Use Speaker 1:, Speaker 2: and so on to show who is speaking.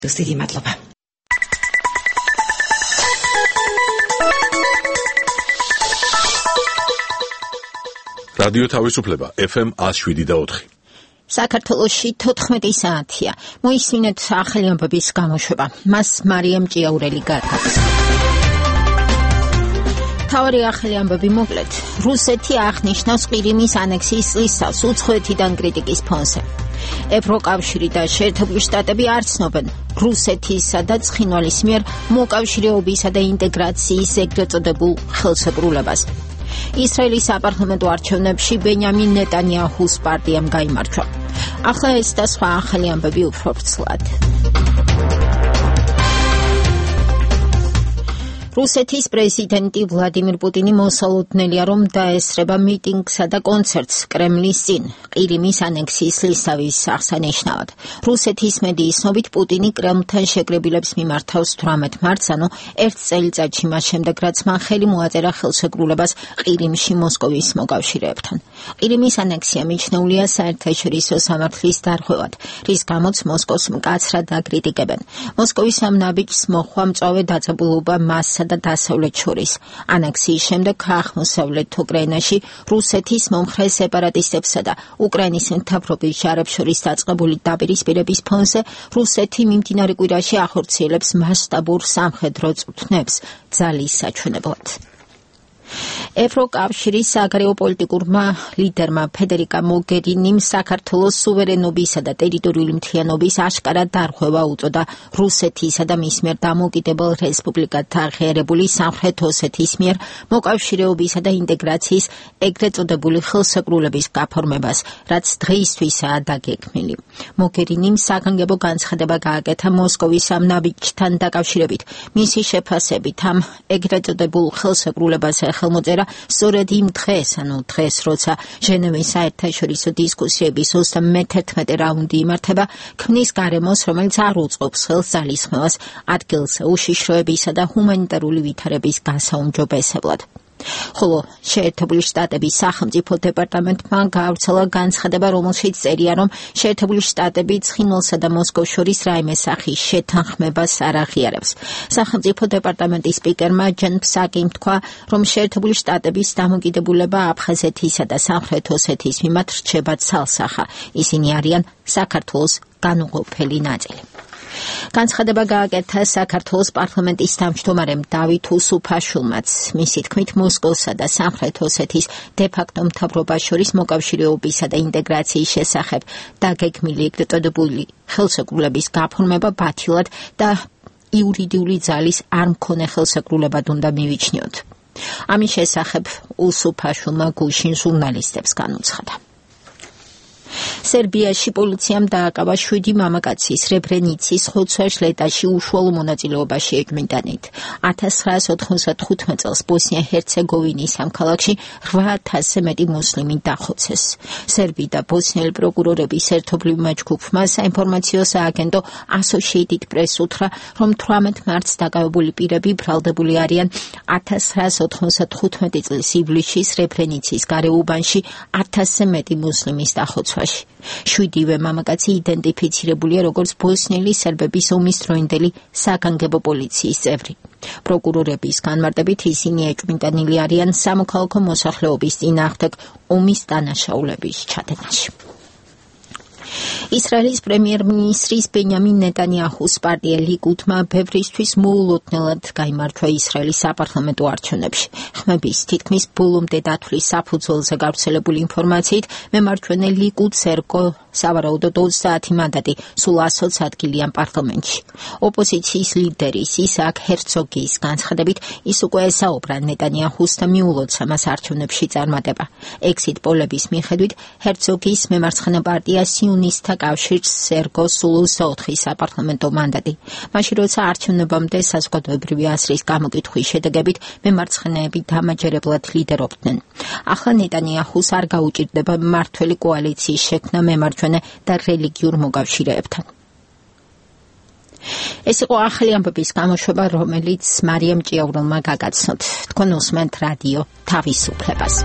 Speaker 1: დიდი მადლობა.
Speaker 2: რადიო თავისუფლება FM 107.4.
Speaker 3: საქართველოში 14 საათია. მოისმინეთ ახალი ამბების გამოშვება. მას მარიამ ჭიაურელი გათავს. თავი ახალი ამბები მოკლედ. რუსეთი აღნიშნავს ყირიმის ანექსიის წლისას უცხოეთიდან კრიტიკის ფონზე. ევროკავშირი და შეერთებული შტატები არ ცნობენ რუსეთისა და ცხინვალის მიერ მოკავშირეობისა და ინტეგრაციის ეგრეთ წოდებულ ხელშეკრულებას. ისრაელის საპარლამენტო არჩევნებში ბენიამინ ნეტანიაჰუს პარტიამ გაიმარჯვა. ახლა ეს და სხვა ახალი ამბები უფრო ვრცლად. რუსეთის პრეზიდენტი ვლადიმირ პუტინი მოსალოდნელია, რომ დაესწრება მიტინგსა და კონცერტს კრემლის წინ, ყირიმის ანექსიის ლისავის აღსანიშნავად. რუსეთის მედიის ცნობით პუტინი კრემლთან შეკრებილებს მიმართავს 18 მარტს, ანუ ერთ წელიწადში მას შემდეგ, რაც მან ხელი მოაწერა ხელშეკრულებას ყირიმში მოსკოვის მოკავშირეებთან. ყირიმის ანექსია მიჩნეულია საერთაშორისო სამართლის დარღვევად, რის გამოც მოსკოვს მკაცრად აკრიტიკებენ. მოსკოვის ამ ნაბიჯს მოჰყვა მწვავე დაძაბულობა მას და დასავლეთ შორის. ანექსიის შემდეგ აღმოსავლეთ უკრაინაში რუსეთის მომხრე სეპარატისტებსა და უკრაინის მთავრობის ჯარებს შორის დაწყებული დაპირისპირების ფონზე რუსეთი მიმდინარე კვირაში ახორციელებს მასშტაბურ სამხედრო წვრთნებს ძალის საჩვენებლად. ევროკავშირის საგარეო პოლიტიკურმა ლიდერმა ფედერიკა მოგერინიმ საქართველოს სუვერენობისა და ტერიტორიული მთლიანობის აშკარა დარღვევა უწოდა რუსეთისა და მის მიერ დამოუკიდებელ რესპუბლიკად აღიარებული სამხრეთ ოსეთის მიერ მოკავშირეობისა და ინტეგრაციის ეგრეთ წოდებული ხელშეკრულების გაფორმებას, რაც დღეისთვისაა დაგეგმილი. მოგერინიმ საგანგებო განცხადება გააკეთა მოსკოვის ამ ნაბიჯთან დაკავშირებით. მისი შეფასებით ამ ეგრეთ წოდებულ ხელშეკრულებას ხელმოწერა სწორედ იმ დღეს, ანუ დღეს, როცა ჟენევის საერთაშორისო დისკუსიების 31 რაუნდი იმართება, ქმნის გარემოს, რომელიც არ უწყობს ხელს ძალისხმევას ადგილს უშიშროებისა და ჰუმანიტარული ვითარების გასაუმჯობესებლად. ხოლო შეერთებული შტატების სახელმწიფო დეპარტამენტმა გაავრცელა განცხადება, რომელშიც წერია, რომ შეერთებული შტატები ცხინვალსა და მოსკოვს შორის რაიმე სახის შეთანხმებას არ აღიარებს. სახელმწიფო დეპარტამენტის სპიკერმა ჯენ ფსაკიმ თქვა, რომ შეერთებული შტატების დამოკიდებულება აფხაზეთისა და სამხრეთ ოსეთის მიმართ რჩება ცალსახა. ისინი არიან საქართველოს განუყოფელი ნაწილი. განცხადება გააკეთა საქართველოს პარლამენტის თავმჯდომარემ დავით უსუფაშვილმაც. მისი თქმით, მოსკოვსა და სამხრეთ ოსეთის დე-ფაქტო მთავრობას შორის მოკავშირეობისა და ინტეგრაციის შესახებ დაგეგმილი ეგრეთ წოდებული ხელშეკრულების გაფორმება ბათილად და იურიდიული ძალის არ მქონე ხელშეკრულებად უნდა მივიჩნიოთ. ამის შესახებ უსუფაშვილმა გუშინ ჟურნალისტებს განუცხადა. სერბიაში პოლიციამ დააკავა 7 მამაკაცი სრებრენიცის ხოცვა-ჟლეტაში უშუალო მონაწილეობაში ეჭვმიტანით. 1995 წელს ბოსნია-ჰერცეგოვინის ამ ქალაქში 8000-ზე მეტი მუსლიმი დახოცეს. სერბი და ბოსნიელი პროკურორების ერთობლივმა ჯგუფმა საინფორმაციო სააგენტო Associated Press უთხრა, რომ 18 მარტს დაკავებული პირები ბრალდებული არიან 1995 წლის ივლისში სრებრენიცის გარეუბანში 1000-ზე მეტი მუსლიმის დახოცვაში. 7-ვე მამაკაცი იდენტიფიცირებულია როგორც ბოსნიელი სერბების ომის დროინდელი საგანგებო პოლიციის წევრი. პროკურორების განმარტებით ისინი ეჭვმიტანილი არიან სამოქალაქო მოსახლეობის წინააღმდეგ ომის დანაშაულების ჩადენაში. ისრაელის პრემიერ-მინისტრის ბენიამინ ნეტანიაჰუს პარტია ლიკუდმა ბევრისთვის მოულოდნელად გაიმარჯვა ისრაელის საპარლამენტო არჩევნებში. ხმების თითქმის ბოლომდე დათვლის საფუძველზე გავრცელებული ინფორმაციით, მემარჯვენე ლიკუდს ერგო სავარაუდოდ 30 მანდატი, სულ 100 ადგილიან პარლამენტში. ოპოზიციის ლიდერის ისააკ ჰერცოგის განცხადებით, ის უკვე ესაუბრა ნეტანიაჰუს და მიულოცა მას არჩევნებში წარმატება. ექსიტ პოლების მიხედვით, ჰერცოგის მემარცხენე პარტია სიონისტთა კავშირს ერგო სულ 24 საპარლამენტო მანდატი. მაშინ როცა არჩევნებამდე საზოგადოებრივი აზრის გამოკითხვის შედეგებით მემარცხენეები დამაჯერებლად ლიდერობდნენ. ახლა ნეტანიაჰუს არ გაუჭირდება მმართველი კოალიციის შექმნა მემარჯვენე და რელიგიურ მოკავშირეებთან. ეს იყო ახალი ამბების გამოშვება, რომელიც მარიამ ჭიაურელმა გაგაცნოთ. თქვენ უსმენთ რადიო თავისუფლებას.